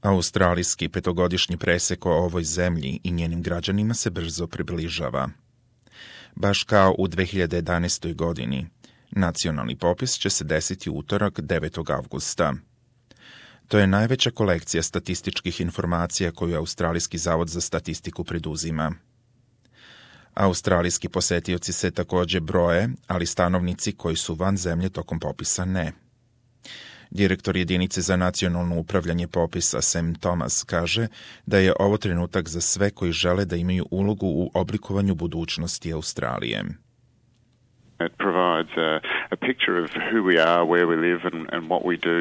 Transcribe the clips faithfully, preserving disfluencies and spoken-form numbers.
Australijski petogodišnji presek o ovoj zemlji i njenim građanima se brzo približava. Baš kao u dve hiljade jedanaestoj. godini, nacionalni popis će se desiti u utorak devetog avgusta. To je najveća kolekcija statističkih informacija koju Australijski zavod za statistiku preduzima. Australijski posetioci se također broje, ali stanovnici koji su van zemlje tokom popisa ne. Direktor jedinice za nacionalno upravljanje popisa Sam Thomas kaže da je ovo trenutak za sve koji žele da imaju ulogu u oblikovanju budućnosti Australije. It provides a, a picture of who we are, where we live and, and what we do.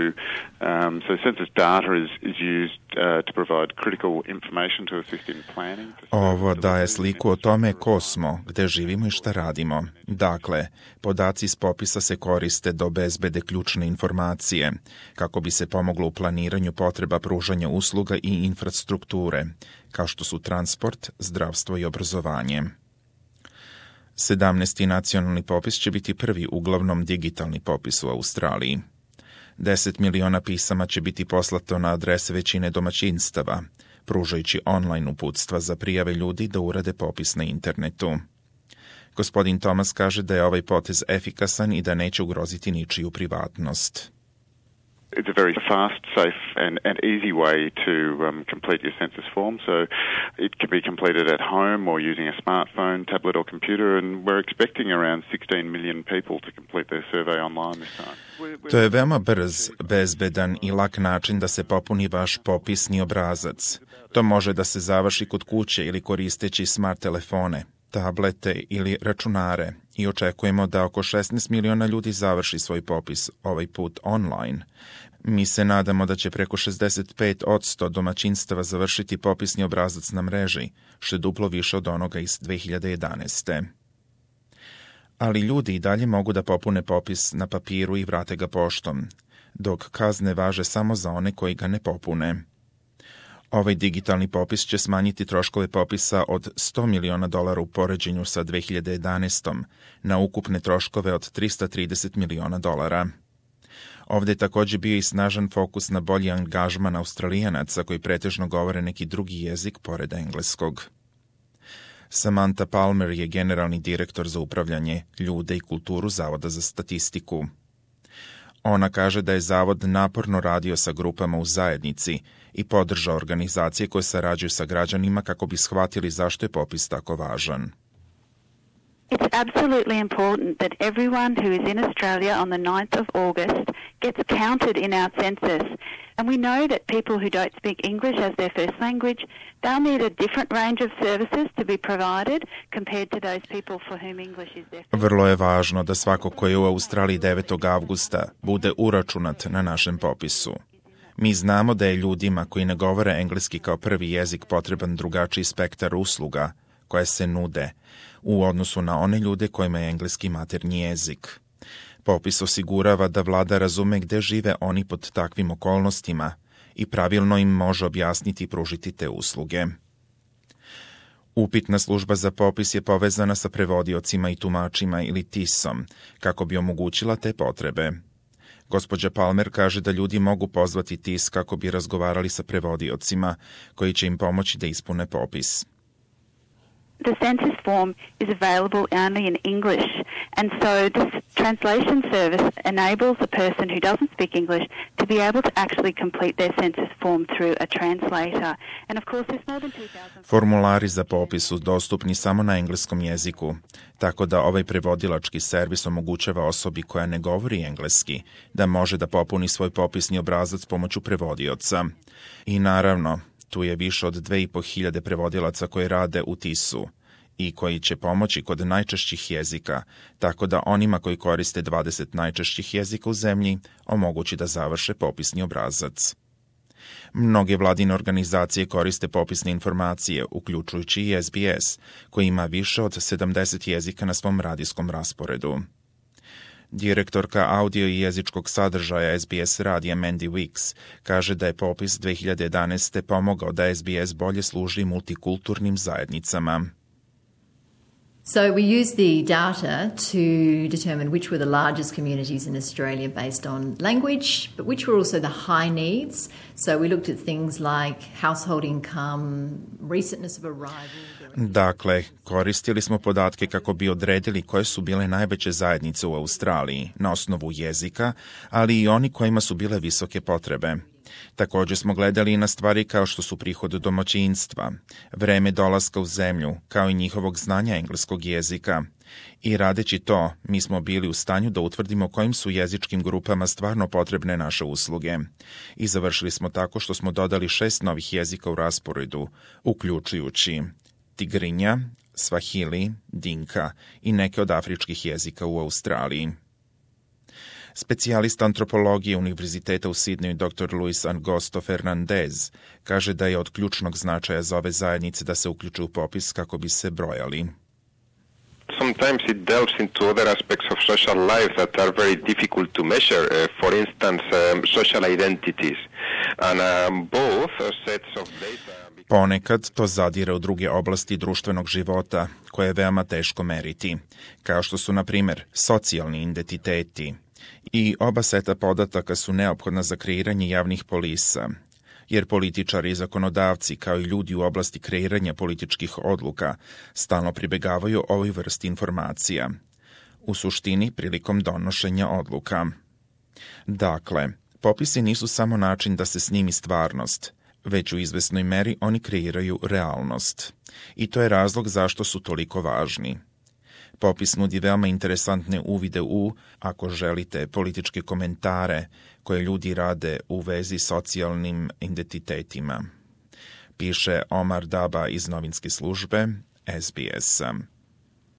Um, so census data is, is used uh, to provide critical information to assist in planning. Ovo daje sliku o tome ko smo, gde živimo i šta radimo. Dakle, podaci iz popisa se koriste da obezbede ključne informacije, kako bi se pomoglo u planiranju potreba pružanja usluga i infrastrukture, kao što su transport, zdravstvo i obrazovanje. sedamnaesti. nacionalni popis će biti prvi uglavnom digitalni popis u Australiji. deset miliona pisama će biti poslato na adrese većine domaćinstava, pružajući online uputstva za prijave ljudi da urade popis na internetu. Gospodin Thomas kaže da je ovaj potez efikasan i da neće ugroziti ničiju privatnost. It's a very fast, safe and, and easy way to um, complete your census form. So it can be completed at home or using a smartphone, tablet or computer, and we're expecting around sixteen million people to complete their survey online this time. To je veoma brz, bezbedan i lak način da se popuni vaš popisni obrazac. To može da se završi kod kuće ili koristeći smart telefone, tablete ili računare i očekujemo da oko šesnaest miliona ljudi završi svoj popis ovaj put online. Mi se nadamo da će preko šezdeset pet posto domaćinstava završiti popisni obrazac na mreži, što je duplo više od onoga iz dve hiljade jedanaeste. Ali ljudi i dalje mogu da popune popis na papiru i vrate ga poštom, dok kazne važe samo za one koji ga ne popune. Ovaj digitalni popis će smanjiti troškove popisa od sto miliona dolara u poređenju sa dve hiljade jedanaestom na ukupne troškove od trista trideset miliona dolara. Ovdje je također bio i snažan fokus na bolji angažman Australijanaca koji pretežno govore neki drugi jezik pored engleskog. Samantha Palmer je generalni direktor za upravljanje ljude i kulturu Zavoda za statistiku. Ona kaže da je Zavod naporno radio sa grupama u zajednici i podržao organizacije koje sarađuju sa građanima kako bi shvatili zašto je popis tako važan. It's absolutely important that everyone who is in Australia on the ninth of August gets counted in our census. And we know that people who don't speak English as their first language, they'll need a different range of services to be provided compared to those people for whom English is their first. Vrlo je važno da svako ko je u Australiji devetog avgusta bude uračunat na našem popisu. Mi znamo da je ljudima koji ne govore engleski kao prvi jezik potreban drugačiji spektar usluga koje se nude u odnosu na one ljude kojima je engleski maternji jezik. Popis osigurava da vlada razume gde žive oni pod takvim okolnostima i pravilno im može objasniti i pružiti te usluge. Upitna služba za popis je povezana sa prevodiocima i tumačima ili T I S-om kako bi omogućila te potrebe. Gospođa Palmer kaže da ljudi mogu pozvati T I S kako bi razgovarali sa prevodiocima koji će im pomoći da ispune popis. The census form is available only in English, and so this translation service enables a person who doesn't speak English to be able to actually complete their census form through a translator. And of course there's more than two thousand... Formulari za popis su dostupni samo na engleskom jeziku, tako da ovaj prevodilački servis omogućava osobi koja ne govori engleski da može da popuni svoj popisni obrazac pomoću prevodioca. I naravno, tu je više od dve i po hiljade prevodilaca koji rade u T I S-u i koji će pomoći kod najčešćih jezika, tako da onima koji koriste dvadeset najčešćih jezika u zemlji omogući da završe popisni obrazac. Mnoge vladine organizacije koriste popisne informacije, uključujući i S B S, koji ima više od sedamdeset jezika na svom radijskom rasporedu. Direktorka audio i jezičkog sadržaja S B S radija Mandy Weeks kaže da je popis dve hiljade jedanaeste. pomogao da S B S bolje služi multikulturnim zajednicama. So we used the data to determine which were the largest communities in Australia based on language, but which were also the high needs. So we looked at things like household income, recentness of arrival. Dakle, koristili smo podatke kako bi odredili koje su bile najveće zajednice u Australiji na osnovu jezika, ali i oni kojima su bile visoke potrebe. Također smo gledali i na stvari kao što su prihod domaćinstva, vreme dolaska u zemlju, kao i njihovog znanja engleskog jezika. I radeći to, mi smo bili u stanju da utvrdimo kojim su jezičkim grupama stvarno potrebne naše usluge. I završili smo tako što smo dodali šest novih jezika u rasporedu, uključujući Tigrinja, Swahili, Dinka i neke od afričkih jezika u Australiji. Specijalista antropologije Univerziteta u Sidneju doktor Luis Angosto Fernandez kaže da je od ključnog značaja za ove zajednice da se uključe u popis kako bi se brojali. Sometimes it delves into other aspects of social life that are very difficult to measure, uh, for instance, um, social identities. And um, both sets of data... Ponekad to zadire u druge oblasti društvenog života, koje je veoma teško meriti, kao što su, na primjer, socijalni identiteti. I oba seta podataka su neophodna za kreiranje javnih polisa, jer političari i zakonodavci, kao i ljudi u oblasti kreiranja političkih odluka, stalno pribegavaju ovoj vrsti informacija, u suštini prilikom donošenja odluka. Dakle, popisi nisu samo način da se snimi stvarnost, već u izvesnoj meri oni kreiraju realnost. I to je razlog zašto su toliko važni. Popis nudi veoma interesantne uvide u, ako želite, političke komentare koje ljudi rade u vezi socijalnim identitetima. Piše Omar Daba iz novinske službe S B S.